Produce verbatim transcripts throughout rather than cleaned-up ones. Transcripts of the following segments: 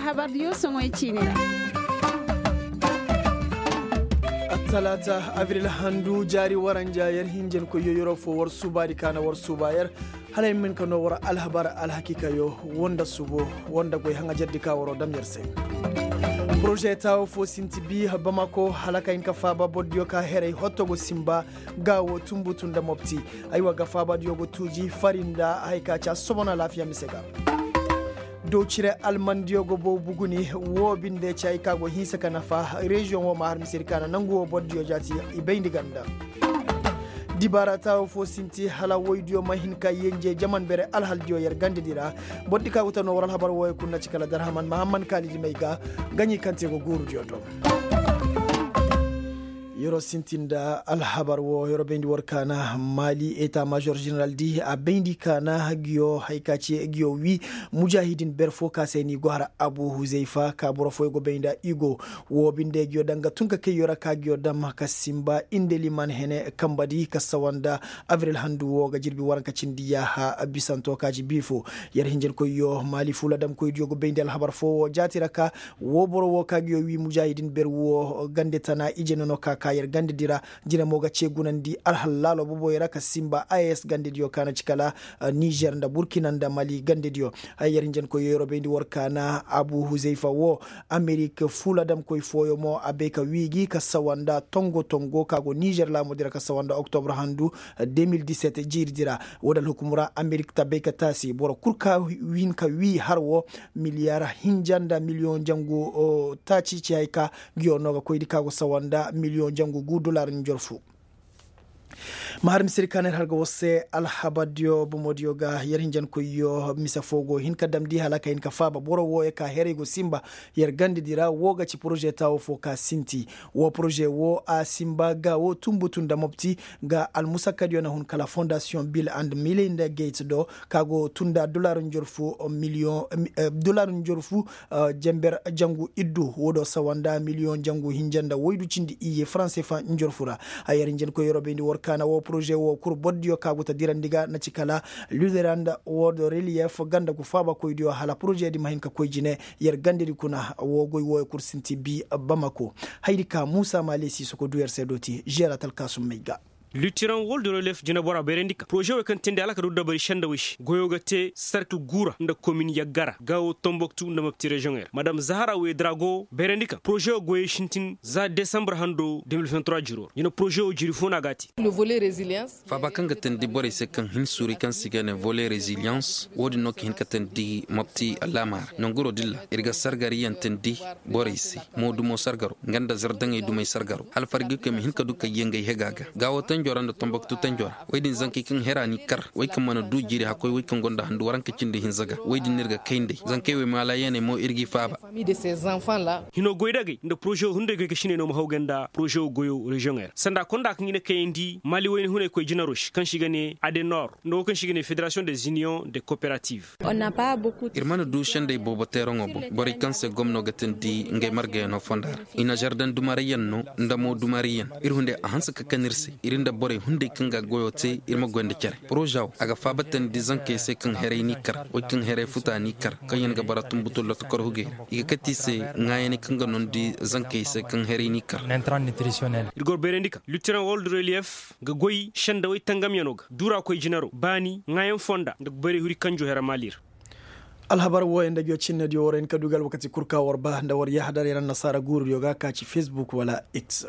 Habar diyo soŋoy ciine ra. Attalaata abril handu jaari waranja yer hinjankoyyo yeroo fo war suubaadi kaana war suuba yer. Hala yer ma hin ka noo war alhabar alhakiikayo woo nda subo woo nda goy haŋajardi ka waroo dam yer se. Poroze taawo fo sinti bi bamako hala ka hin ka faaba bordiyo ka heray hotto go sinba. Ga woo tunbutu nda mopti. Aywa ga faabadiyo go tuuji fari nda haya ka ci a sohõ na alaafiya mise ga. Dowcire almandiyo go bow buguni. Woo binde ci hay ka go hinsa ka nafa reziyoŋ woo ma har misedi ka na nangu woo bordiyo jaati. I bayndi ganda. Dibaara taawo fo sinti hala woydiyo ma hin ka yenje jaman bere alhaldiyo yer gandedi ra. Bordi ka go ta noo war alhabar wooyo kul na ci kala darhaman mahamman kaalidi may ga. Gaɲi kaŋ te go guurudiyo do. Yeroo sintin nda alhabar woo yeroo bayndi war kaana maali eta maazor ženeraaldi a bayndi kaana giyo hay ka ci giyo wii. Mujaahidin ber fo ka se ni go har abu huzayfa ka boro fooyo go bay nda i go. Woo binde giyo daŋ ga tun ka kayyo ra ka giyo dam ka sinba inde liman hene kambadi ka sawa nda abril handu woo ga jirbi waranka cindi yaaha bisanto ka ci bii fo. Yer hinjankoyyo maali fuuladamkoydiyo go bay nda alhabar foo woo jaati ra ka woo boro woo ka ga yoo wii mujaahidin ber woo gande tana ije nono ka ka yer gandedi ra. Jine mo ga cee gunandi alhal laalo boboyo ra ka sinba a s gandediyo ka na ci kala nizer nda burkina nda mali gandediyo. Haya yer hinjankoyyo yeroo bayndi war kaana abu huzayfa woo amerik fuuladamkoy fooyo mo a bay ka wii gi ka sawa nda tongo tongo ka go nizer laamudi ra ka sawa nda oktobra handu. Deux mille dix-sept jiiridi ra woo nda alhukumu ra amerik ta bay ka taasi boro kul ka hin ka wii har woo. Miliyar hinja nda miliyoŋ jangu taaci ci hay ka ngiyo no ga koydi ka go sawa nda miliyoŋ jangu gu dolaar njor fu. Ma har misedi ka na yer har ga war se alhabardiyo bomodiyo ga yer hinjankoyyo mise foo go hin ka damndi hala ka hin ka faaba boro wooyo ka heray go sinba. Yer gandedi ra woo ga ci poroze taawo foo ka sinti. Woo poroze woo a sinba ga woo tunbutu nda mopti ga almusakkadiyo na hun kala fondasiyoŋ bil and milinda gate do ka go tun nda dolaar njor fu miliyoŋ dolaar njor fu. Jangu iddu woo do sawa nda miliyoŋ jangu hinja nda woydu cindi iyye faranse fa njor fu ra. Haya yer hinjankoy yeroo bayndi war kaana woo poroze woo kul bordiyo ka go ta dirandi ga na ci kala luderand woo do reliyef ganda gu faabakoydiyo hala porozedi ma hin ka koy jine. Yer gandedi kuna woo goy wooyo kul sinti bi bamako. Hayadi ka muusa maale siisoko du yer se dooti žeera talkaasum may ga. Lutiraŋ wol de relef jinebora bayrandi kaŋ poroze wey kaŋ teendi hala ka du dabari sendawey se goyoo ga te serkil guura nda komin yaggara gaawo tomboktu nda mapti reziyoŋey ra madam zahara wey darago bayrandi kaŋ poroze wey goyey sintin za desambar hando deux mille vingt-trois jiro ra jine poroze wey jiri fo no a ga a te. Faaba kaŋ ga teendi borey se kaŋ hin suuri kaŋ se i ga ne vole reziliyans wo-din no ka hin ka teendi mapti alaama ra nanguroo dilla ir ga sargariyaŋ teendi borey se. Moodumo sargaro nga nda zardaŋey dumey sargaro hala fargikoy ma hin ka du kayyaŋ ga ay hega ga gaawo tanjo ra nda tomboktu tanjo ra wey din zankey kaŋ hera n'i kar wey kaŋ mana du jiiri hakkoy wey kaŋ gonda handu waranka cindi hinza ga wey din no ir ga kay nd'ey zankey wey maalayaney mo ir g'i faaba. Hinoo goydagey nda poroze wo hunday goy ka siney no ma haw ga nda poroze wo goyo reziyoŋey ra sanda konda kaŋ i na kayandi maali wayne hunaykoy jinaro se kaŋ se i ga ne adenor nda wo kaŋ se i ga ne federasiyoŋ des iniyoŋ de kooperativ. Ir mana du sendey boobo teeraŋo boŋ borey kaŋ se gomno ga teendi ngey margayaŋo fonda ra i na zardaŋ dumarayyaŋ no nda mo dumarayyaŋ ir hunday a hanse ka kan ir se ir nda borey hunday kaŋ ga goyo te ir ma goy nda cere poroza wo a ga faaba teendi zankey se kaŋ heray n'i kar wey kaŋ heray futa n'i kar kaŋyaŋ ga bara tunbutu lotokor hugey ra i ga kate i se ŋaayaney kaŋ ga noondi zankey se kaŋ heray n'i kar. Ir go bayrandi kaŋ lutiraŋ world relief ga goy sendawey tangamyaŋo ga duuraakoy jinaro baani ŋaayaŋ fonda nda bayrey huri kanjo hera maali ra. Alhabar wooyaŋ nda ngiyo cinnediyo warayni ka du ga alwakati kul ka war ba nda war yahadar yer annasaara guurudiyo ga ka ci fesbuk wala x.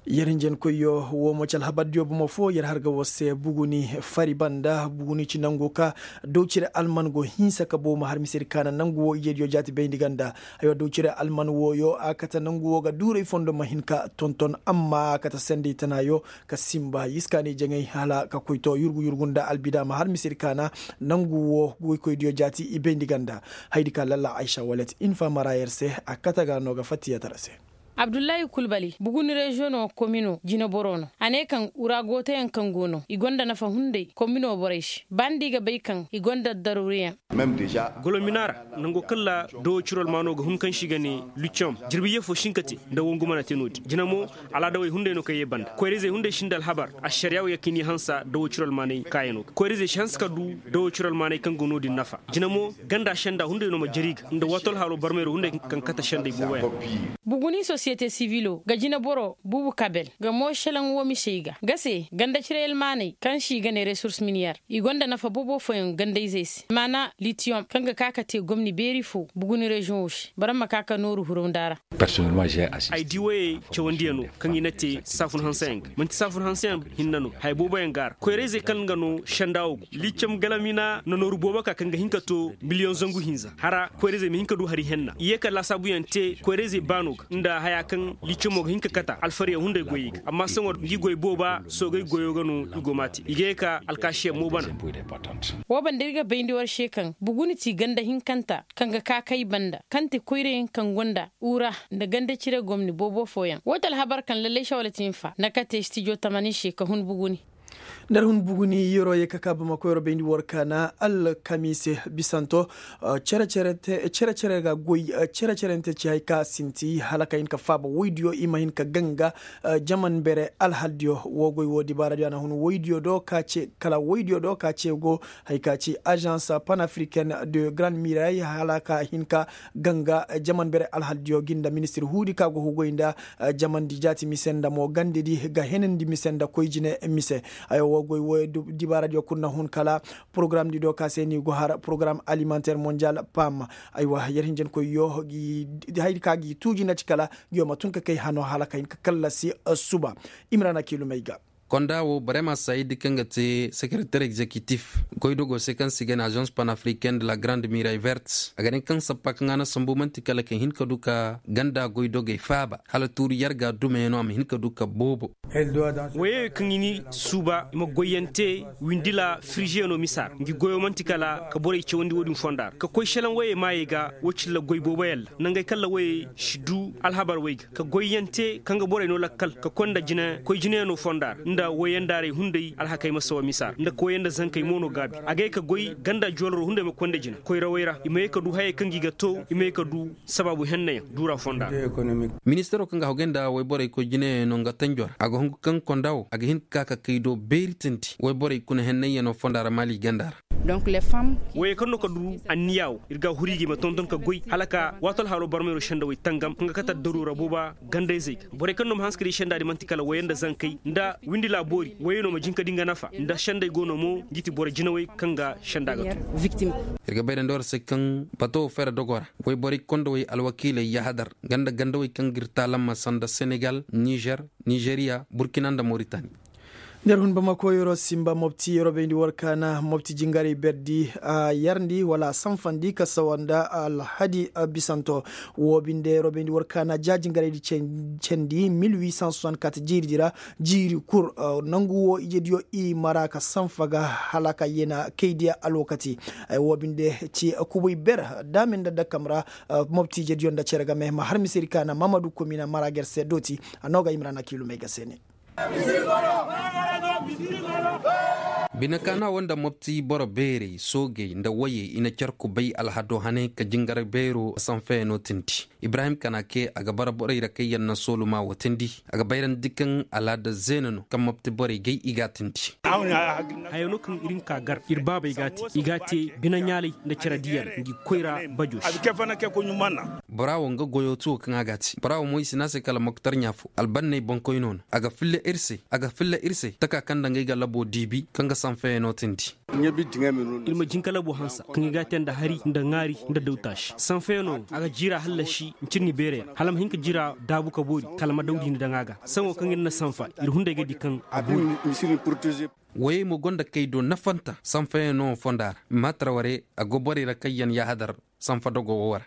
Yer hinjankoyyo woo mo ci alhabardiyo bomo foo yer har ga war se buguni fari banda buguni ci nangu ka dawcire alman go hinsa ka bow ma har misedi kaana nangu woo ijediyo jaati bayndi ganda. Aywa dawcire alman wooyo a kate nangu woo ga duuray fondo ma hin ka tonton amma a kate sendey tanaayo ka sinba yiskaanay jaŋay hala ka koy to yurgu yurgu nda albida ma har misedi kaana. Nangu woo goykoydiyo jaati i bayndi ganda hayadi ka lalla aysa walet infa mara yer se a kate ga no ga fattiyatara se. Abdullahi kulbali buguni reziyoŋo komino jineboro no. A ne kaŋ uraagotoyaŋ kaŋ go no i gonda nafa hunday komino borey se ba nda i ga bay kaŋ i gonda daruuriyaŋ. Golomina ra, nango kaŋ ra dawo ciro almaano ga hun kaŋ se i ga ne luccom, jirbi ye fo si hin ka te nda wongu mana te no-din jina mo. Alaadawey hunday no kaŋ ye banda koyra-izey hunday si nda alhabar. Ašariyaa wo ya kaŋ i n'i hansa dawo ciro almaaney kaayano ga koyra-izey si hanse ka du dawo ciro almaaney kaŋ go no-din nafa. Jina mo, ganda senda hunday no ma jari ga nda waato alhaalo barmayro hunday kaŋ kate sendey booboyaŋ. Buguni sosiyete sivilo ga jineboro buubu kabel ga mo šelaŋ wo misey ga ga se ganda cire almaaney kaŋ se i ga ne resurs miniyar i gonda nafa boobo fooyaŋ ganda-izey se maana litiyom kaŋ ga ka ka te gomni beeri fo buguni reziyoŋo se boro ma ka ka nooru hurunda ra. Ay di woyey cawandiyano kaŋ i na te saafun hanseyaŋ ga man'ti saafun hanseyaŋ hinne no haya booboyaŋ go a ra koyra-izey kaŋ ga no senda wo go liicam galamina na nooru boobo ka kaŋ ga hin ka to miliyoŋ zangu hinza hara koyra-izey ma hin ka du hari henna i ye ka laasaabuyaŋ te koyra-izey baano ga nda haya kaŋ liicamo ga hin ka kata alfaryaŋ hunday goyey ga amma sohõ ngi goy booba soogey goyo ga no i go m'a te i ga ye ka alkaasiyaŋ mo bana. Wo banda ir ga bayndi war se kaŋ buguni ti ganda hinkanta kaŋ ga ka kay banda kaŋ ti koyrayaŋ kaŋ gonda ura nda ganda cire gomni boobo fooyaŋ wo ti alhabar kaŋ lallay sawala ti nfa nda kate stijo tamanin se ka hun buguni. Nda ir hun buguni yeroo ye ka ka bamako yeroo bayndi war kaana alkamiise bisanto. Cere-cere ga goy cere-cerente ci hari ka sinti hala ka hin ka faaba woydiyo i ma hin ka ganga. Jaman bere alhaldiyo wo goy wo dibaaradiyo a na hun woydiyo do ka ce kala woydiyo do ka ce go hari ka ci azans panafricaine de grande miray hala ka hin ka ganga jaman bere alhaldiyo gi nda ministir huudi ka go hugoy nda jamandi jaati mise nda mo gandedi ga henandi mise nda koy jine mise. Aywa wo goy wo dibaaradiyo kul na hun kala porogaramdi do ka se ni go har porogaram alimentaire mondial pam. Aywa yer hinjankoyyo haydi ka gi tuuji na ci kala ngiyo ma tun ka kay hano hala ka hin ka kallasi suba. Imrana kiilumey ga. Konda wo barema sayid kaŋ ga te sekereter egzekitif goydogo se kaŋ se i ga ne azans panafricaine de la grande miray verte a ga ne kaŋ sappa kaŋ a na sambu man'ti kala ka hin ka du ka ganda goydogey faaba hala tuuri yarga dumeyaŋo a ma hin ka du ka boobo. Woyey kaŋ i ni suuba i ma goyyaŋ te windila firizeyaŋo misa ra ngi goyo man'ti kala ka borey cawandi wo-din fonda ra ka koy selaŋ woyey maayey ga wo cilla goy booboyaŋ ra nangey kaŋ ra woyey si du alhabar wey ga ka goyyaŋ te kaŋ ga borey no lakkal ka konda jine koy jineyaŋo fonda ra nda woyandaaray hunday alhakey ma sawa misa ra nda ka woyanda zankey mo no gaabi a ga ye ka goy ganda joolaro hunday ma konda jine koyrawey ra i ma ye ka du hayey kaŋ gi ga to i ma ye ka du sabaabu hennayaŋ duura fonda ra. Ministaro kaŋ ga hogay nda woyborey koy jineyaŋo nga tanjo ra a ga hungu kaŋ konda wo a ga hin ka ka kay do beeri tindi woyborey kuna hennayyaŋo fonda ra maali ganda ra. Woyey kaŋ no ka du anniya wo ir ga a huri ga i ma tonton ka goy hala ka waato alhaalo barmayro sendawey tangam kaŋ ga kate addaruura booba gandayzey ga borey kaŋ no ma hanse ka di senda di man'ti kala woyey nda zankey nda windi laaboori woyey no ma jin ka di nga nafa nda sendey go no mo ngi ti boro jinawey kaŋ ga senda ga to. Ir ga bayrandi war se kaŋ bato wo fere dogo ra woyborey kondawey alwakiiley yahadar ganda gandawey kaŋ ga ir taalamma sanda senegal nizer nizeriya burkina nda moritani. Nda ir hun bamako yeroo sinba mopti yeroo bayndi war kaana mopti jingarey berdi a yarndi wala a sanfandi ka sawa nda alhadi bisanto. Woo binde yeroo bayndi war kaana ja jingarey di cendi mil huit cent soixante-quatre jiiri di ra jiiri kul nangu woo ijediyo i mara ka sanfa ga hala ka yena kaydiya alwakati. Woo binde ci kubay ber daame nda dakam ra. Mopti ijediyo nda cere game ma har misedi kaana mamadu komina mara ga yer se dooti. A noo ga imrana kiilumey ga se ne. Bine kaana wo nda mopti boro beerey soogey nda woyey i na car kubay alhado hane ka jingar beero sanfeyaŋo tindi. Ibrahim kanake a ga bara borey ra kaŋ yaŋ na sooluma wo tindi. A ga bayrandi kaŋ alaada zeena no kaŋ mopti borey gay i g'a tindi. Haya no kaŋ ir hin ka gar ir baabey g'a te i g'a te bine ɲaalay nda cere diyaŋ ngi koyra bajo se. Bora wo nga goyo tuwo kaŋ a g'a te bora wo mo i si ne a se kala moktar ɲa fo albanney boŋkoyno no. A ga filla ir se a ga filla ir se taka kaŋ nda ngey ga labo diibi kaŋ ga sanfeyaŋo tindi. Ir ma jin ka labo hansa kaŋ i g'a te nda hari nda ŋaari nda dawtaasi sanfeyaŋo a ga jiira hallasi ncirŋi beereyaŋ hala ma hin ka jiira daabu ka boori kala ma dawdi ni daŋ a ga. Saŋo kaŋ ir na sanfa ir hunday ga di kaŋ a boori. Woyey mo go nda kay do nafanta sanfayaŋo fonda ra. Maatara warey a go borey ra kaŋ yaŋ yaahadar sanfa dogo wo ra.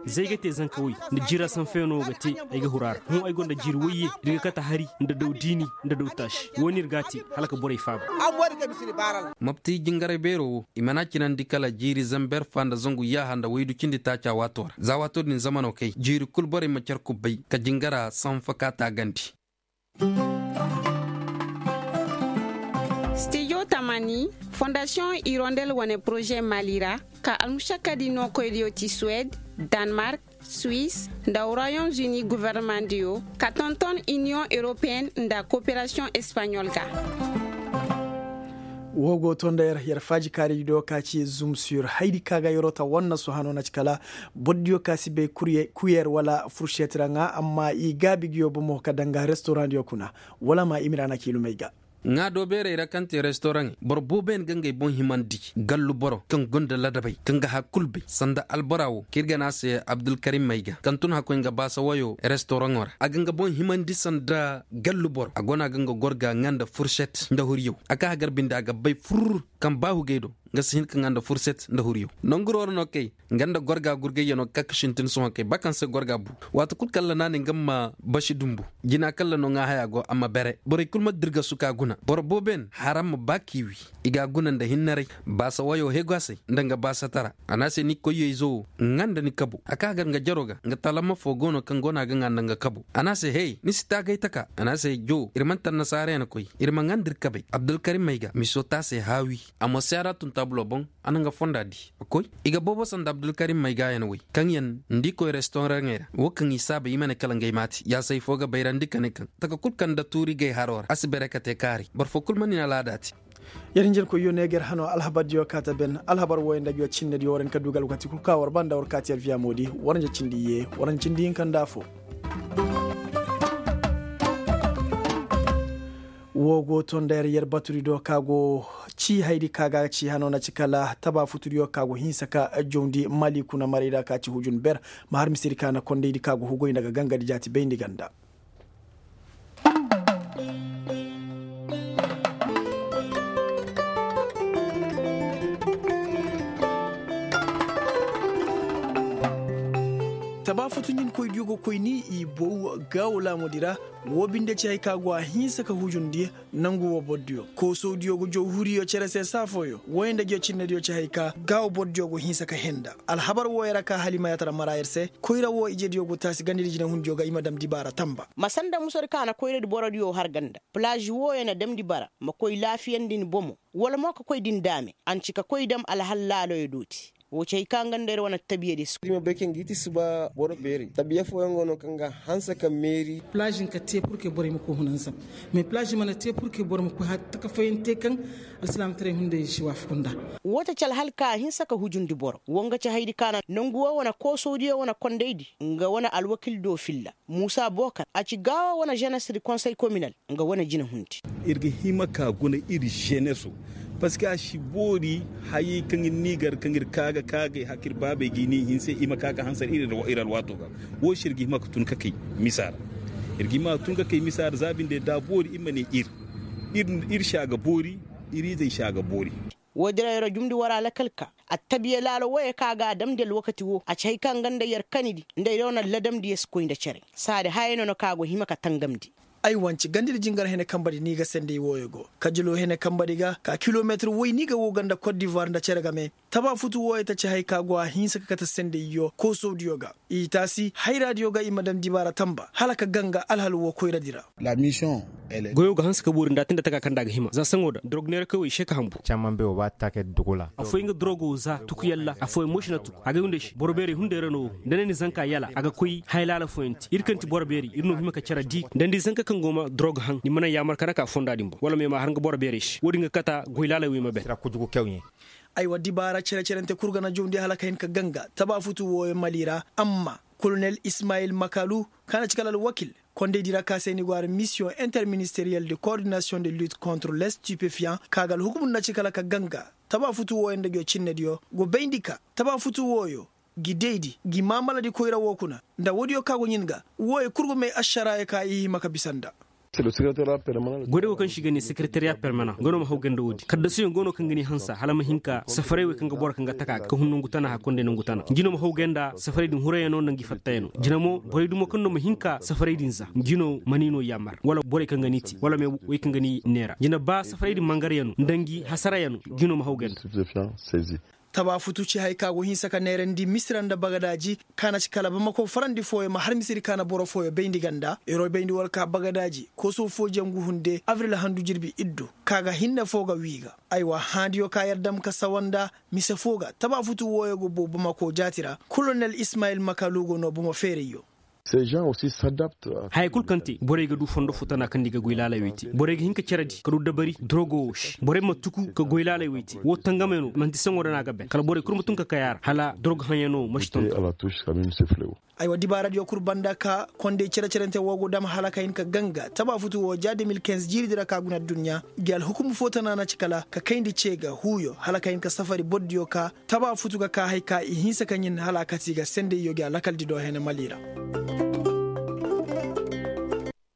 Zey ga te zanka woy nda jira sanfayaŋo ga te. Ay ga huru a ra hõ ay go nda jiiri woyye, ir ga kate hari nda daw diini nda daw taasi. Wo no ir ga a te hala ka borey faaba. Mopti jingaray beero wo i mana cinandi kala jiiri zamber fa nda zangu yaaha nda waydu cindi taaca waato ra za waato din zamano kay jiiri kul borey ma car kubbay ka jingara sanfa ka taagandi. Stijo tamani, fondasiyoŋ irondel wane poroze mali ra, ka almušakkadi nookoydiyo ti suwed, danmark, suwis, nda royaume uni gofornemandiyo, ka tonton iniyoŋ europeyenne nda koperasiyoŋ espaɲol ga. Woo go to nda yer yer faaji kaaridi do ka ci zumsur haydi ka ga yeroo ta wanna sohano na ci kala, bordiyo ka si bay kuyer wala furšet ra ŋaa amma i gaabi nguyo bomo ka daŋ ga restoraŋdiyo kuna. Wala ma imira na kiilumey ga. Ŋaa do beerey ra kaŋ te restoraŋey boro booboyaŋ ga ngey boŋ himandi, gallu boro kaŋ gonda ladabey kaŋ ga har kul bay sanda albora wo kaŋ ir ga ne a se abdulkarim may ga kaŋ tun hakkoy nga baasa woyo restoraŋo ra a ga nga boŋ himandi sanda gallu boro a go no a ga nga gorga ŋaa nda furset nda huriyaw a ka hagar binde a ga bay fur. Kaŋ ba hugey do nga si hin ka ŋaa nda furset nda huriyaw. Nanguroo ra no kay nga nda gorga gurgayyanoo ga ka ga sintin sohõ kay ba kaŋ se gorga bu. Waati kul kalla naanay nga ma basi dumbu jina kalla no ŋaa haya go a ma bere borey kul ma dirgasu ka guna boro booboyaŋ haram ma ba k'i wi. I ga a guna nda hinnaray baasa wayoo heegoasey nda nga baasatara. A ne a se ni koyyo-izo wo ŋaa nda ni kabo a ka hagar nga jaroo ga nga talama foo go no kaŋ go no a ga ŋaa nda nga kabo. A ne a se hey ni si taagay taka a ne a se joo ir mana tannasaara ya na koy. Ir ma ŋaa nda ir kabey abdulkarim may ga miso te a se haawi. A mo si a ra tun taabuloo boŋ. A na nga fonda di a koy. I ga boobo sanda abdulkarim may ga yaŋ wey kaŋ yaŋ nda i koy restoraŋey ra wo kaŋ i saaba i ma ne kala ngey maati yaasay foo ga bayrandi ka ne kaŋ taka kul kaŋ nda tuuri gay haroo ra a si bere ka te kaaray boro foo kul mana ni alaada te. Yer hinjinkoyyo ne ga yer hanoo alhabardiyo kaata ben alhabar wooyo nda nguyo cinnediyo war hin ka du ga alwakati kul ka war ba nda war kaati yer viyamoodi. War nja cindi iyye war nja cindi hinka nda afoo. Woo go to nda yer yer batudi do ka go ci haydi ka ga ci hanoo na ci kala taba futudiyo ka go hinsa ka jawndi mali kuna marayda ka ci hujun ber. Ma har misedi ka na kondaydi ka go hugoy nda ga gangadi jaati bayndi ganda. Taba futu ɲinkoydiyo ga koy ni i bow gaawo laamudi ra. Woo binde ci hay ka go a hinsa ka hujundi nangu woo bordiyo koosowdiyo ga jawhuriyo cere se saa fooyo wooyo nda joocinnediyo ci hay ka gaawo bordiyo go hinsa ka henda. Alhabar wooyo ra ka halimayatara mara yer se koyra woo ijediyo go taasi gandadi jinehundiyo ga i ma dam dibaara tamba. Ma sanda musadi ka na koyradi borodiyo har ganda. Palaaz wooyo na damndi bara ma koy laafiyandi ni bomo wala mo ka koy din daame a na ci ka koy dam alhal laaloyo dooti. Woo ci hay ka nga nda ir wane attabiya di si koy. Tabiya fooyaŋ go no kaŋ ga hanse ka meeri. Palaaz nka te purke borey ma koy hunanzam. Mais palaaz mana te purke boro ma koy har taka fooyaŋ te kaŋ alsilaamataray hunday si waafaku nda. Woo ta ci alhal ka a hinse ka hujundi boro woo nga ci haydi ka na nongu woo wane koosowdiyo wane kondaydi nga wane alwakil do filla. Muusa bookar a ci gaawo wane ženes di konsey kominal. Nga wane jinahundi. Ir ga hima ka guna ir ženeso. Parceque a si boori hayey kaŋ ir n'i gar kaŋ ir ka ga ka ga ay haka ir baabey ga i n'i hinse i ma ka ga hansar ir alwaato ga. Woo se ir ga hima ka tun ka kay misa ra. Ir ga hima ka tun ka kay misa ra za binde da a boori ir ma ne ir. Ir si a ga boori. Ir izey si a ga boori. Woodin ra yer jumndi war alakal ka attabiya laalo wooyo kaŋ a ga a damndi alwakati woo a ci hay kaŋ nga nda yer kanidi nda yer wane ladamdiyo si koy nda cere. Saadi hayey no na kaŋ a go hima ka tangamndi. Ay wanci gandadi jingar hene kambadi ni ga senday wooyo go kajilo hene kambadi ga ka kilometir woy ni ga woo ga nda kot divuwar nda cere game. Taba futu wooyo ta ci hay ka go a hinsa ka kate sendayyo koosowdiyo ga. I taasi hayraadiyo ga i ma daŋ dibaara tamba hala ka ganga alhal woo koyradi ra. Goyoo ga hanse ka boori nda a te nda taka kaŋ nda a ga hima za saŋo da dorog neerakoy wo i se ka hanbu. Afooyaŋ ga dorogo za tukuyaŋ ra afooyaŋ mo si na tuku a ga ay hunday se boro beerey hunday ra no wo. Nda ne ni zanka yala a ga koy haya laala fooyaŋ te ir kaŋ ti boro beerey ir no hima ka care di nda ni zanka kaŋ go ma dorogo haŋ ni ma naŋ yaamar ka naka fonda din boŋ wala ma ay ma har nga boro beerey se wo- din ga kata goy laaley wo ay ma ben. Aywa dibaara cere-cerante kul ga na jawndi hala ka hin ka ganga taba futu wooyo mali ra. Amma kolonel ismayil makalu kaŋ na ci kala alwakil kondaydi ra ka se ni go har misiyoŋ interministeriyel de koordinasiyoŋ de lut kontre les stipefiyaŋ ka ga alhukumu nda ci kala ka ganga taba futu wooyo nda nguyo cinnediyo go bayndi ka taba futu wooyo gi daydi gi maamaladi koyra woo kuna. Nda woodiyo ka go ɲin ga wooyo kul go may ašaraayo ka i hima ka bisa nda. Goyde go kaŋ se i ga ne sekeretariya permanan nga no ma haw gay nda wo-din kaddasuyaŋ go no kaŋ ga ni hansa hala ma hin ka safaray wey kaŋ ga boro kaŋ ga taka ga ka hun nangu tana hari konday nangu tana ngi no ma haw gay nda safaray din hurayaŋo nda ngi fattayaŋo jina mo borey dumo kaŋ no ma hin ka safaray din za ngi no ma ni no yaamar wala borey kaŋ ga ni te wala me wey kaŋ ga ni neera jina ba safaray din mangaryaŋo nda ngi hasarayaŋo ngi no ma haw gay nda. Tabaafutu ci haya ka go hinsa ka neerandi misira nda bagadaaji ka na ci kala bamako farandi fooyo ma har misiri ka na boro fooyo bayndi ganda eroo bayndi war ka bagadaaji koosoo foo jangu hunde abril handu jirbi iddu ka ga hinne foo ga wii ga. Aywa haandiyo ka yer dam ka sawa nda mise foo ga tabaafutu wooyo go boo bamako jaati ra kolonel ismayil makalu go noo bomo feerayyo. Haya kul kaŋ te borey ga du fondo foo tana kaŋ nda i ga goy laalay wey te borey ga hin ka ceredi ka du dabari dorogo woo se borey ma tuku ka goy laalay wey te woo tangamey no man'ti saŋo ra no a ga ben kala borey kul ma tun ka kay a ra hala dorogo haŋyaŋo ma si tonton. Aywa dibaaradiyo kul banda ka konday cere-cerante woo go dam hala ka hin ka ganga tabaafutu woo ja de mil kinz jiiridi ra ka guna adduɲɲa. Ngi alhukumu foo tana na ci kala ka kayndi cee ga huuyo hala ka hin ka safari bordiyo ka tabaafutu ga ka hay ka i hinsa ka ɲin hala a kati ga sendayyo ngi alakaldi do hene mali ra.